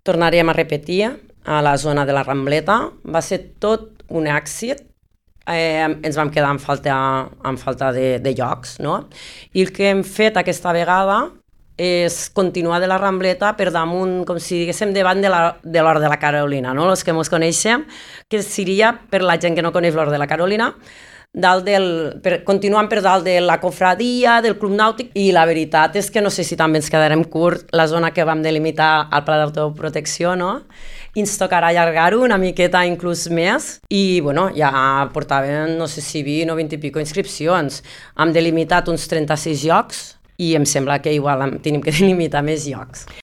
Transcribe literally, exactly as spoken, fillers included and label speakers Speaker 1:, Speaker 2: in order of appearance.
Speaker 1: Tornaríem a repetir a la zona de la Rambleta. Va ser tot un èxit. Eh, ens vam quedar amb falta, amb falta de, de llocs, no? I el que hem fet aquesta vegada és continuar de la Rambleta per damunt, com si diguéssim, davant de l'Hort de, de la Carolina, no? Els que ens coneixem, que seria, per la gent que no coneix l'Hort de la Carolina, dalt del, per, continuant per dalt de la cofradia, del Club Nàutic, i la veritat és que no sé si també ens quedarem curt la zona que vam delimitar al Pla d'Autoprotecció, no? I ens tocarà allargar-ho una miqueta inclús més, i bueno, ja portaven, no sé si vint o vint i pico inscripcions. Hem delimitat uns trenta-sis llocs, i em sembla que igual tenim que delimitar més llocs.